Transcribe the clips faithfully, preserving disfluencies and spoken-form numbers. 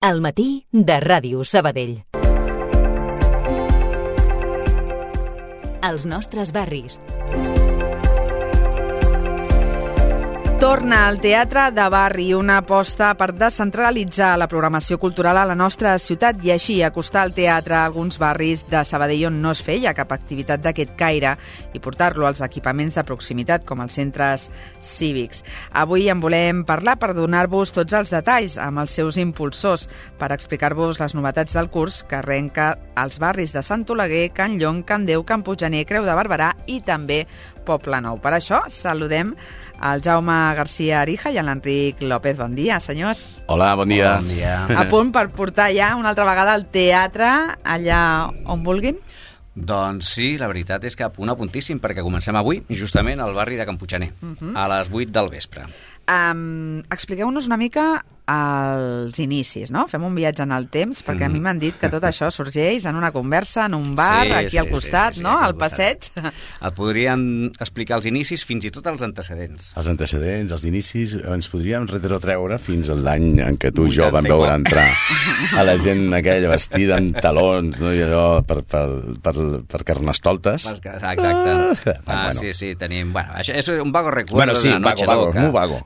Al matí de Ràdio Sabadell. Els nostres barris. Torna al teatre de barri, una aposta per descentralitzar la programació cultural a la nostra ciutat i així acostar el teatre a alguns barris de Sabadell on no es feia cap activitat d'aquest caire i portar-lo als equipaments de proximitat com els centres cívics. Avui en volem parlar per donar-vos tots els detalls amb els seus impulsors, per explicar-vos les novetats del curs que arrenca als barris de Sant Oleguer, Can Llong, Can Deu, Can Puiggener, Creu de Barberà i també Poblenou. Per això saludem el Jaume García Arija i l'Enric López. Bon dia, senyors. Hola, bon dia. Bon dia. A punt per portar ja una altra vegada al teatre allà on vulguin? Doncs sí, la veritat és que a punt a puntíssim, perquè comencem avui justament al barri de Can Puiggener, uh-huh. a les vuit del vespre. Um, expliqueu-nos una mica als inicis, no? Fem un viatge en el temps, perquè a mi m'han dit que tot això sorgeix en una conversa, en un bar, sí, aquí sí, al costat, sí, sí, sí, no? Al passeig. Et podríem explicar els inicis, fins i tot els antecedents. Els antecedents, els inicis, ens podríem retrotreure fins a l'any en què tu i jo vam veure entrar a la gent aquella vestida amb talons, no? I allò per, per, per, per carnestoltes. Exacte. Ah, ah bueno. sí, sí, tenim... Bueno, això és un vago recuerdo bueno, sí, de la noche vago, loca. Muy vago.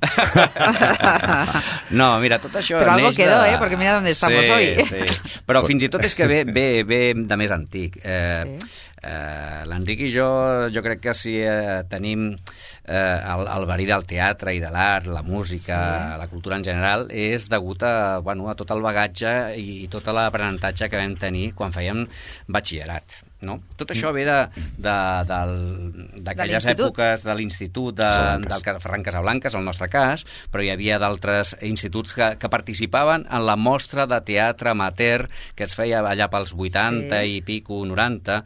No, mira, tot això però algo quedó, de... eh? Perquè mira on estamos sí, hoy. Sí. Però fins i tot és que ve, ve, ve de més antic. Eh, sí. eh, L'Enric i jo, jo crec que si eh, tenim eh, el, el verí del teatre i de l'art, la música, sí. la cultura en general, és degut a, bueno, a tot el bagatge i, i tot l'aprenentatge que vam tenir quan fèiem batxillerat. No? Tot això ve de, de, de, d'aquelles èpoques de l'institut de, del Ferran Casablanques, el nostre cas, però hi havia d'altres instituts que, que participaven en la mostra de teatre amateur que es feia allà pels vuitanta sí. i pico, noranta,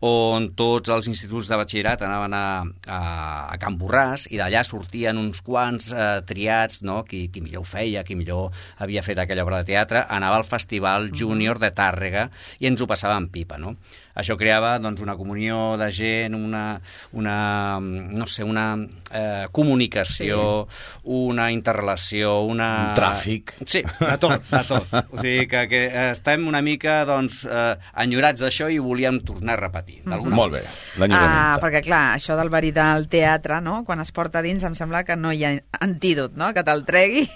on tots els instituts de batxillerat anaven a, a, a Can Borràs i d'allà sortien uns quants eh, triats, no? qui, qui millor ho feia, qui millor havia fet aquella obra de teatre, anava al Festival Júnior de Tàrrega i ens ho passava en pipa, no? Això creava doncs, una comunió de gent, una, una no sé, una eh, comunicació, sí. una interrelació, una... Un tràfic. Sí, de tot, de tot. O sigui que, que estem una mica doncs, eh, enyorats d'això i volíem tornar a repetir. Mm-hmm. Molt bé, l'enyorament. Ah, perquè clar, això del verí del teatre, no? Quan es porta dins em sembla que no hi ha antídot, no? Que te'l tregui.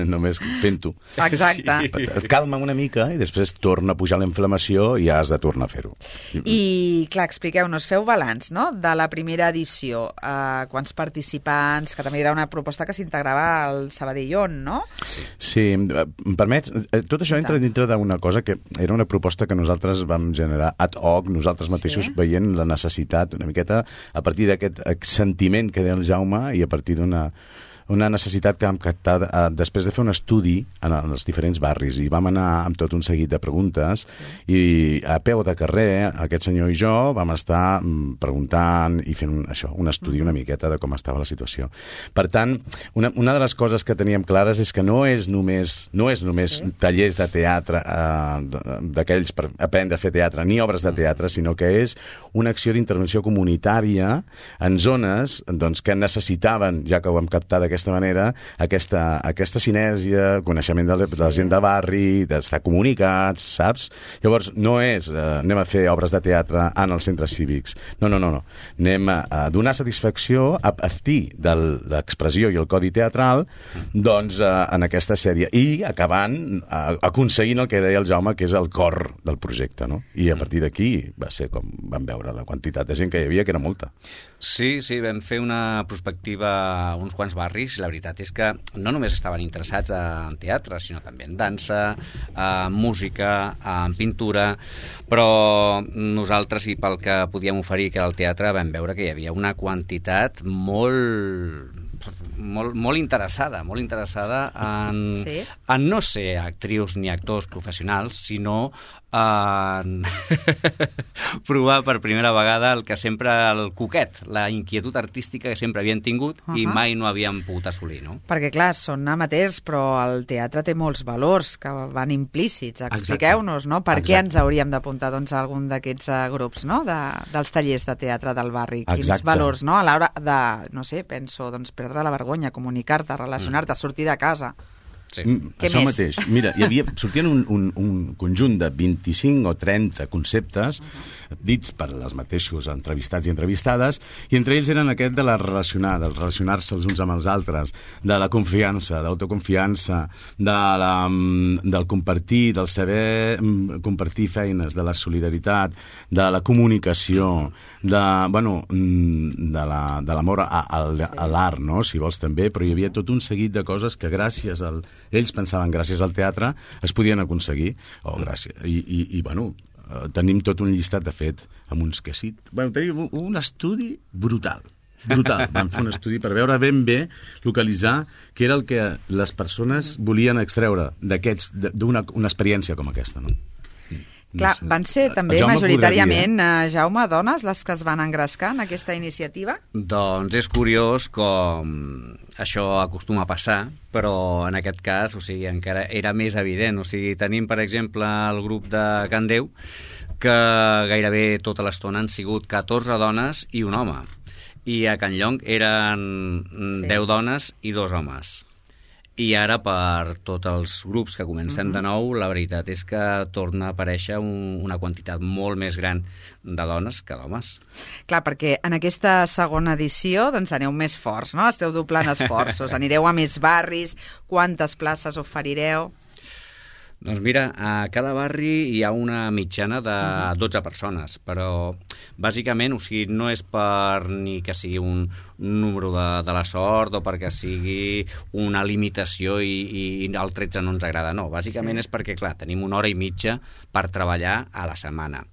Només fent-ho. Exacte. Sí. Et calma una mica i després torna a pujar la inflamació i has de tornar a fer-ho. I, clar, expliqueu-nos, feu balanç, no?, de la primera edició. Uh, quants participants, que també era una proposta que s'integrava al Sabadellón, no? Sí, sí, em permets? Tot això entra dintre d'una cosa que era una proposta que nosaltres vam generar ad hoc, nosaltres mateixos, sí. veient la necessitat, una miqueta, a partir d'aquest sentiment que deia el Jaume i a partir d'una... una necessitat que vam captar eh, després de fer un estudi en els diferents barris i vam anar amb tot un seguit de preguntes sí. i a peu de carrer aquest senyor i jo vam estar mm, preguntant i fent un, això, un estudi una miqueta de com estava la situació. Per tant, una, una de les coses que teníem clares és que no és només, no és només sí. tallers de teatre eh, d'aquells per aprendre a fer teatre ni obres de teatre, sinó que és una acció d'intervenció comunitària en zones doncs, que necessitaven, ja que ho hem captat d'aquesta manera, aquesta, aquesta sinergia, coneixement de la, de la gent de barri, d'estar comunicats, saps? Llavors, no és eh, anem a fer obres de teatre en els centres cívics. No, no, no. no. Anem a, a donar satisfacció a partir de l'expressió i el codi teatral doncs, eh, en aquesta sèrie. I acabant, eh, aconseguint el que deia el Jaume, que és el cor del projecte, no? I a partir d'aquí va ser com vam veure la quantitat de gent que hi havia, que era molta. Sí, sí, vam fer una prospectiva a uns quants barris. La veritat és que no només estaven interessats en teatre, sinó també en dansa, en música, en pintura, però nosaltres, i pel que podíem oferir, que era el teatre, vam veure que hi havia una quantitat molt... Molt, molt interessada, molt interessada en, sí? en no ser actrius ni actors professionals, sinó en provar per primera vegada el que sempre, el coquet, la inquietud artística que sempre havien tingut uh-huh. i mai no havien pogut assolir, no? Perquè, clar, són amateurs, però el teatre té molts valors que van implícits. Expliqueu-nos, no? Per Exacte. Què ens hauríem d'apuntar doncs, a algun d'aquests uh, grups, no? De, dels tallers de teatre del barri. Quins Exacte. Valors, no? A l'hora de, no sé, penso, doncs, perdre la vergonya, comunicar-te, relacionar-te, sortir de casa. Sí. Què Això més? mateix. Mira, hi havia, sortien un, un, un conjunt de vint-i-cinc o trenta conceptes uh-huh. dits per els mateixos entrevistats i entrevistades, i entre ells eren aquest de la relacionar, del relacionar-se els uns amb els altres, de la confiança, de l'autoconfiança, de la, del compartir, del saber compartir feines, de la solidaritat, de la comunicació, de, bueno, de la, de l'amor a, a, a l'art, no? Si vols també, però hi havia tot un seguit de coses que gràcies al ells pensaven gràcies al teatre es podien aconseguir, o gràcies, i, i, i bueno, tenim tot un llistat de fet amb uns que sí, bueno, tenim un estudi brutal, brutal, vam fer un estudi per veure ben bé, localitzar què era el que les persones volien extreure d'aquests, d'una una experiència com aquesta, no? Clar, van ser també Jaume majoritàriament, eh, Jaume, dones les que es van engrescar en aquesta iniciativa? Doncs és curiós com això acostuma a passar, però en aquest cas, o sigui, encara era més evident. O sigui, tenim, per exemple, el grup de Can Déu, que gairebé tota l'estona han sigut catorze dones i un home. I a Can Llong eren sí. deu dones i dos homes. I ara, per tots els grups que comencem de nou, la veritat és que torna a aparèixer un, una quantitat molt més gran de dones que d'homes. Clar, perquè en aquesta segona edició doncs aneu més forts, no? Esteu doblant esforços, anireu a més barris, quantes places oferireu? Doncs mira, a cada barri hi ha una mitjana de dotze persones, però bàsicament, o sigui, no és per ni que sigui un número de, de la sort o perquè sigui una limitació i, i el tretze no ens agrada, no. Bàsicament sí. és perquè, clar, tenim una hora i mitja per treballar a la setmana.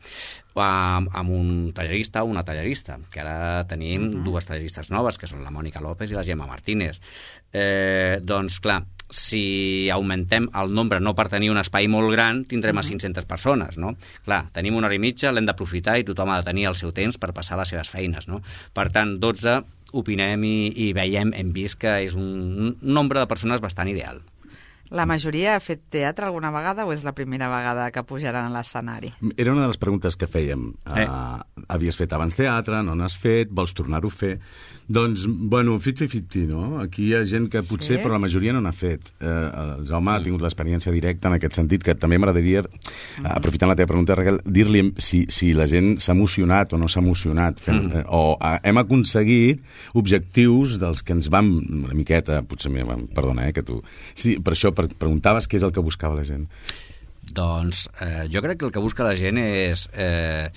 Amb, amb un tallerista o una tallerista, que ara tenim uh-huh. dues talleristes noves, que són la Mònica López i la Gemma Martínez. Eh, doncs, clar, si augmentem el nombre, no per tenir un espai molt gran, tindrem a cinc-centes persones, no? Clar, tenim una hora i mitja, l'hem d'aprofitar i tothom ha de tenir el seu temps per passar les seves feines, no? Per tant, dotze opinem i, i veiem, hem vist que és un nombre de persones bastant ideal. La majoria ha fet teatre alguna vegada o és la primera vegada que pujaran a l'escenari? Era una de les preguntes que fèiem. Eh? Uh, havies fet abans teatre, no n'has fet, vols tornar-ho a fer? Doncs, bueno, fifty-fifty, no? Aquí hi ha gent que potser, sí? però la majoria no n'ha fet. Eh, el Jaume ha tingut l'experiència directa en aquest sentit, que també m'agradaria, mm. aprofitant la teva pregunta, Raquel, dir-li si, si la gent s'ha emocionat o no s'ha emocionat, fent, mm. eh, o eh, hem aconseguit objectius dels que ens vam, una miqueta, potser, perdona, eh, que tu... Sí, per això preguntaves què és el que buscava la gent. Doncs eh, jo crec que el que busca la gent és... Eh,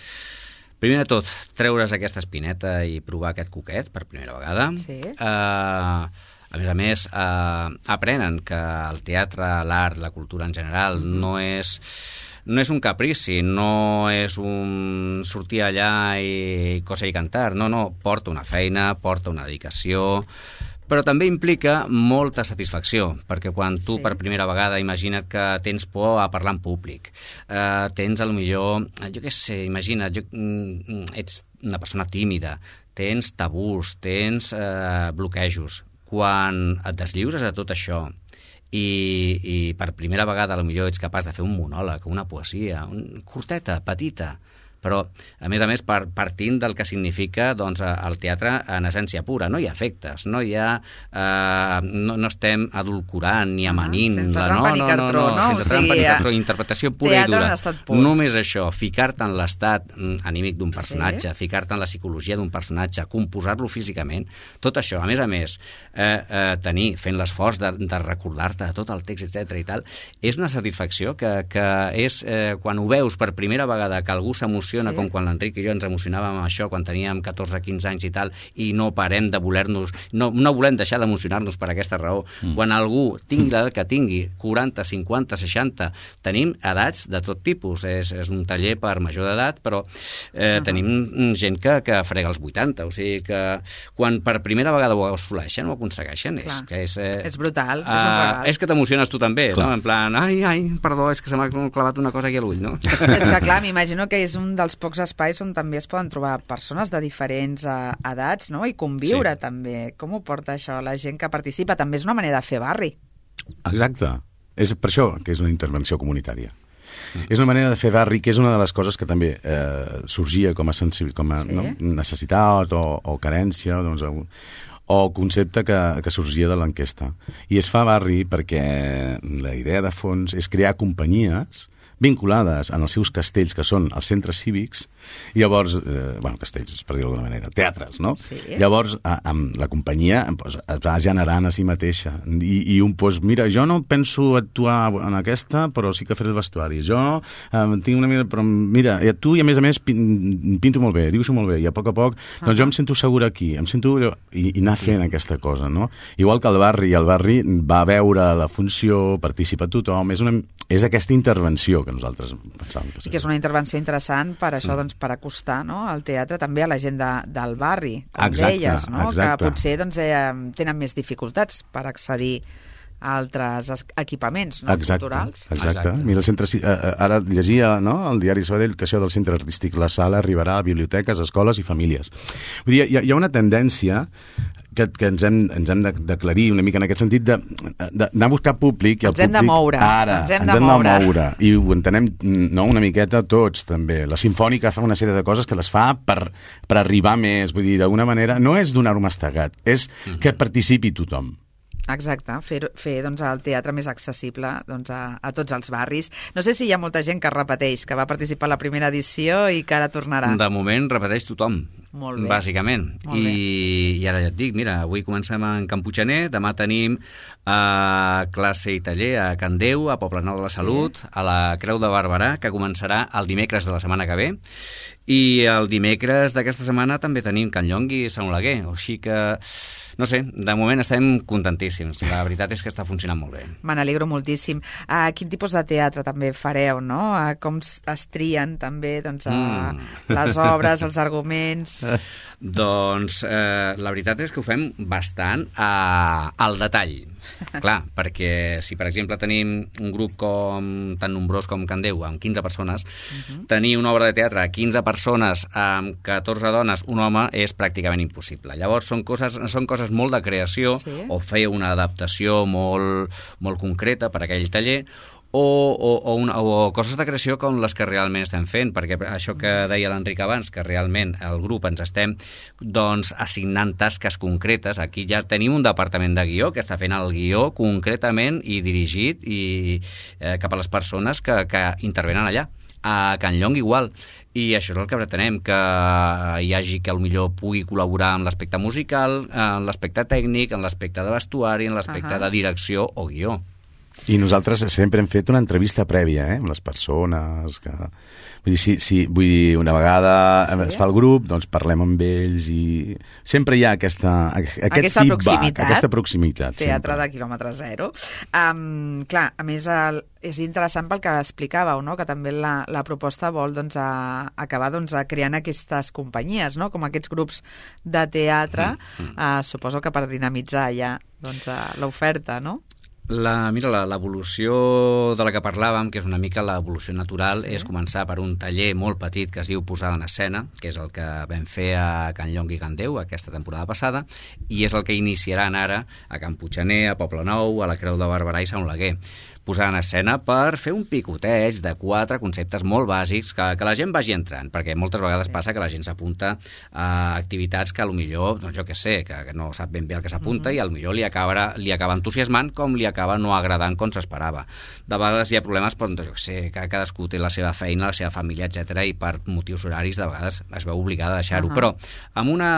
primer de tot, treure's aquesta espineta i provar aquest coquet per primera vegada. Sí. Eh, a més a més, eh, aprenen que el teatre, l'art, la cultura en general mm. no és... no és un caprici, no és un sortir allà i coser i cantar, no, no, porta una feina, porta una dedicació, però també implica molta satisfacció, perquè quan tu sí. per primera vegada imagina't que tens por a parlar en públic, eh, tens a lo millor, jo què sé, imagina't, jo, ets una persona tímida, tens tabús, tens eh, bloquejos. Quan et deslliures de tot això i, i per primera vegada potser ets capaç de fer un monòleg, una poesia, un, curteta, petita, però, a més a més, per, partint del que significa doncs, el teatre en essència pura. No hi ha efectes, no hi ha... Eh, no, no estem adulcorant ni amanint. Sense la, trampa no, ni no, cartró, no? no, no? Sense O trampa sigui, ni cartró, interpretació pura i dura. Només això, ficar-te en l'estat anímic d'un personatge, sí. ficar-te en la psicologia d'un personatge, composar-lo físicament, tot això, a més a més, eh, eh, tenir, fent l'esforç de, de recordar-te tot el text, etcètera i tal, és una satisfacció que, que és, eh, quan ho veus per primera vegada que algú s'emociona, sí. com quan l'Enric i jo ens emocionàvem amb això quan teníem catorze quinze anys i tal, i no parem de voler-nos, no, no volem deixar d'emocionar-nos per aquesta raó. Mm. Quan algú tingui l'edat que tingui, quaranta, cinquanta, seixanta, tenim edats de tot tipus. És, és un taller per major d'edat, però eh, uh-huh. tenim gent que, que frega els vuitanta, o sigui que quan per primera vegada ho assoleixen o ho aconsegueixen, és, que és, eh, és brutal, uh, és un regal. És que t'emociones tu també, clar. No? En plan, ai, ai, perdó, és que se m'ha clavat una cosa aquí a l'ull, no? És que clar, m'imagino que és un dels pocs espais on també es poden trobar persones de diferents uh, edats, no? I conviure sí. també. Com ho porta això la gent que participa? També és una manera de fer barri. Exacte. És per això que és una intervenció comunitària. Mm. És una manera de fer barri, que és una de les coses que també eh, sorgia com a, sensibil, com a sí. no? necessitat o, o carència, doncs, o concepte que, que sorgia de l'enquesta. I es fa barri perquè la idea de fons és crear companyies vinculades en els seus castells, que són els centres cívics, i llavors, eh, bueno, castells, per dir-ho d'alguna manera, teatres, no? Sí. Llavors, a, amb la companyia pues, es va generant a si mateixa. I, i un, pues, mira, jo no penso actuar en aquesta, però sí que faré el vestuari. Jo eh, tinc una mica, però mira, i tu, i a més a més, pin, pinto molt bé, dibuixo molt bé, i a poc a poc, doncs uh-huh. jo em sento segur aquí, em sento... I, i anar fent aquesta cosa, no? Igual que el barri, el barri va veure la funció, participa tothom, és, una, és aquesta intervenció que nosaltres pensàvem que seria. I que és una intervenció interessant per això, mm. doncs, per acostar, no?, el teatre també a la gent de, del barri, com exacte, deies, no?, exacte. que potser doncs, eh, tenen més dificultats per accedir a altres equipaments, no?, exacte, culturals. Exacte. Exacte. Mira, el centre, ara llegia, no?, al diari Sabadell que això del centre artístic La Sala arribarà a biblioteques, escoles i famílies. Vull dir, hi ha, hi ha una tendència que, que ens hem, ens hem d'aclarir una mica en aquest sentit d'anar a buscar públic. I el ens hem públic, de moure. Ara, ens hem, ens de, hem moure. de moure. I ho entenem, no, una miqueta tots, també. La Simfònica fa una sèrie de coses que les fa per, per arribar més. Vull dir, d'alguna manera, no és donar-ho mastegat, és que participi tothom. Exacte, fer, fer doncs, el teatre més accessible doncs, a, a tots els barris. No sé si hi ha molta gent que repeteix, que va participar a la primera edició i que ara tornarà. De moment repeteix tothom. Molt bé. Bàsicament. Molt I, bé. I ara ja et dic, mira, avui comencem en Can Puiggener, demà tenim eh, classe i taller a Can Déu, a Poblenou de la Salut, sí. a la Creu de Barberà, que començarà el dimecres de la setmana que ve, i el dimecres d'aquesta setmana també tenim Can Llongui i Sant Oleguer, o així que, no sé, de moment estem contentíssims. La veritat és que està funcionant molt bé. Me n'alegro moltíssim. Uh, quin tipus de teatre també fareu, no? Uh, com es trien també doncs, uh, mm. les obres, els arguments... Doncs eh, la veritat és que ho fem bastant a, al detall. Clar, perquè si per exemple tenim un grup com tan nombrós com Can Déu, amb quinze persones, uh-huh. tenir una obra de teatre a quinze persones amb catorze dones, un home, és pràcticament impossible. Llavors són coses, són coses molt de creació, sí. o fer una adaptació molt, molt concreta per a aquell taller, O, o, o, una, o coses de creació com les que realment estem fent, perquè això que deia l'Enric abans, que realment el grup ens estem doncs, assignant tasques concretes, aquí ja tenim un departament de guió que està fent el guió concretament i dirigit i, eh, cap a les persones que, que intervenen allà. A Can Llong igual, i això és el que pretenem, que hi hagi que potser pugui col·laborar en l'aspecte musical, en l'aspecte tècnic, en l'aspecte de vestuari, en l'aspecte uh-huh. de direcció o guió. I nosaltres sempre hem fet una entrevista prèvia, eh, amb les persones que... Vull dir, si, si, vull dir, una vegada sí. es fa el grup, doncs parlem amb ells i sempre hi ha aquesta, aquest aquesta feedback, proximitat, aquesta proximitat. Teatre sempre. de quilòmetre zero. Um, clar, a més, el, és interessant pel que explicàveu, no? Que també la, la proposta vol doncs, a, acabar doncs, a creant aquestes companyies, no? Com aquests grups de teatre, mm, mm. Uh, suposo que per dinamitzar ja doncs, uh, l'oferta, no? La, mira, l'evolució de la que parlàvem, que és una mica l'evolució natural, sí. és començar per un taller molt petit que es diu Posada en Escena, que és el que vam fer a Can Llong i Can Déu aquesta temporada passada, i és el que iniciaran ara a Can Puiggener, a Poblenou, a la Creu de Barberà i Sant Oleguer. Posar en escena per fer un picoteig de quatre conceptes molt bàsics que, que la gent vagi entrant, perquè moltes vegades sí. passa que la gent s'apunta a activitats que potser, doncs jo què sé, que, que no sap ben bé el que s'apunta uh-huh. i potser li acaba, li acaba entusiasmant com li acaba no agradant com s'esperava. De vegades hi ha problemes, però jo què sé, que cadascú té la seva feina, la seva família, etcètera, i per motius horaris de vegades es veu obligada a deixar-ho. Uh-huh. Però amb, una,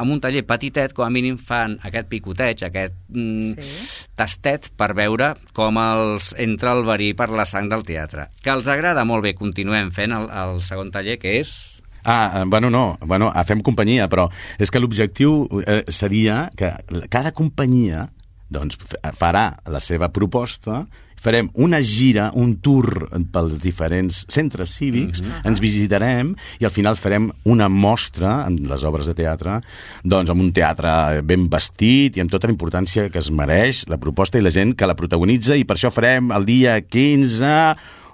amb un taller petitet, com a mínim fan aquest picoteig, aquest mm, sí. tastet per veure com el entra el verí per la sang del teatre. Que els agrada molt bé, continuem fent el, el segon taller, que és... Ah, bueno, no, bueno, fem companyia, però és que l'objectiu eh, seria que cada companyia doncs, farà la seva proposta, farem una gira, un tour pels diferents centres cívics, mm-hmm. ens visitarem i al final farem una mostra amb les obres de teatre, doncs amb un teatre ben vestit i amb tota la importància que es mereix la proposta i la gent que la protagonitza, i per això farem el dia quinze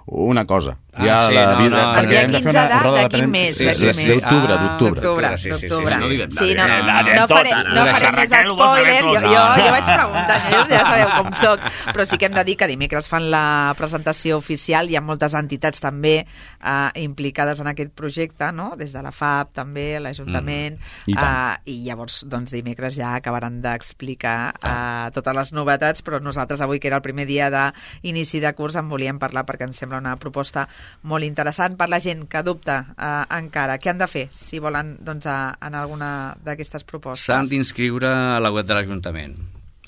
una cosa. Ah, ja sí, la no, vida, no, perquè El dia hem de fer quinze una de- roda de d'aquí premsa. mes, Sí, d'aquí sí, mes. sí, d'octubre, Ah, d'octubre. D'octubre, sí, sí, sí, d'octubre. sí, no diguem Sí, no, res, no, no diguem no tot, faré, ara. no Deixa faré més Raquel, ho vols saber spoiler, jo, tot. jo, No, jo no. vaig preguntant, jo ja sabeu com soc, però sí que hem de dir que dimecres fan la presentació oficial, hi ha moltes entitats també eh, implicades en aquest projecte, no? Des de la F A P també, l'Ajuntament, Mm. I tant. eh, i llavors doncs dimecres ja acabaran d'explicar eh, totes les novetats, però nosaltres avui, que era el primer dia d'inici de curs, en volíem parlar perquè ens sembla una proposta molt interessant per la gent que dubta eh, encara. Què han de fer si volen doncs, a, en alguna d'aquestes propostes? S'han d'inscriure a la web de l'Ajuntament,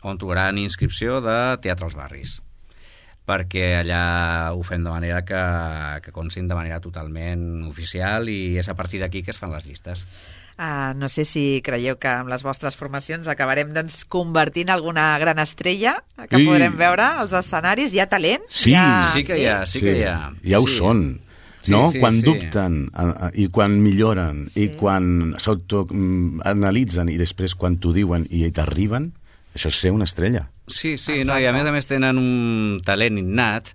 on trobaran inscripció de Teatre als Barris, perquè allà ho fem de manera que, que constin de manera totalment oficial i és a partir d'aquí que es fan les llistes. Uh, no sé si creieu que amb les vostres formacions acabarem doncs, convertint alguna gran estrella que Sí. podrem veure als escenaris. Hi ha talent? Sí. Hi ha... Sí que hi ha, sí, que hi ha. Ja ho Sí. són. Sí, No? sí, Quan sí. dubten a- a- i quan milloren Sí. i quan s'autoanalitzen i després quan t'ho diuen i t'arriben, això és ser una estrella. Sí, sí, Exacte. no, i a més a més tenen un talent innat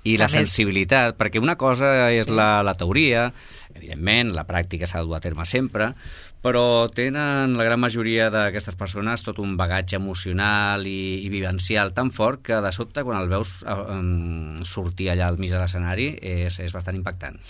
i la A més- sensibilitat, perquè una cosa és la, la teoria, evidentment, la pràctica s'ha de dur a terme sempre, però tenen la gran majoria d'aquestes persones tot un bagatge emocional i, i vivencial tan fort que de sobte quan el veus eh, em, sortir allà al mig de l'escenari és, és bastant impactant.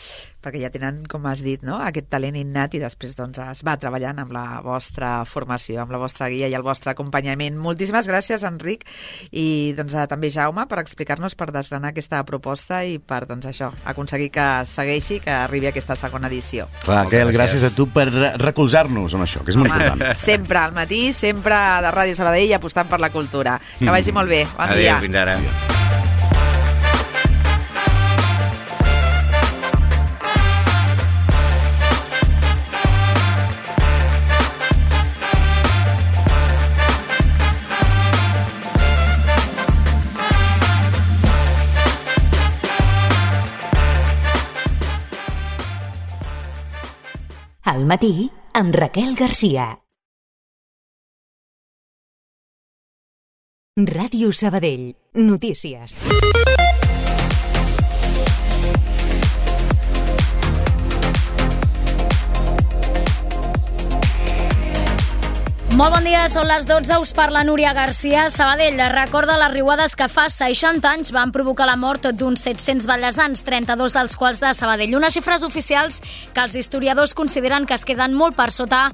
Perquè ja tenen, com has dit, no? aquest talent innat i després doncs, es va treballant amb la vostra formació, amb la vostra guia i el vostre acompanyament. Moltíssimes gràcies, Enric, i doncs, a, també Jaume, per explicar-nos, per desgranar aquesta proposta i per doncs, això aconseguir que segueixi, que arribi aquesta segona edició. Raquel, Moltes gràcies. gràcies a tu per re- recolzar-nos en això, que és molt important. Sempre al matí, sempre de Ràdio Sabadell apostant per la cultura. Que vagi molt bé. Bon Adéu, dia. fins ara. Al matí, amb Raquel Garcia. Ràdio Sabadell. Notícies. Molt bon dia, són les dotze, us parla Núria Garcia. Sabadell recorda les riuades que fa seixanta anys van provocar la mort d'uns set-cents ballesans, trenta-dos dels quals de Sabadell. Unes xifres oficials que els historiadors consideren que es queden molt per sota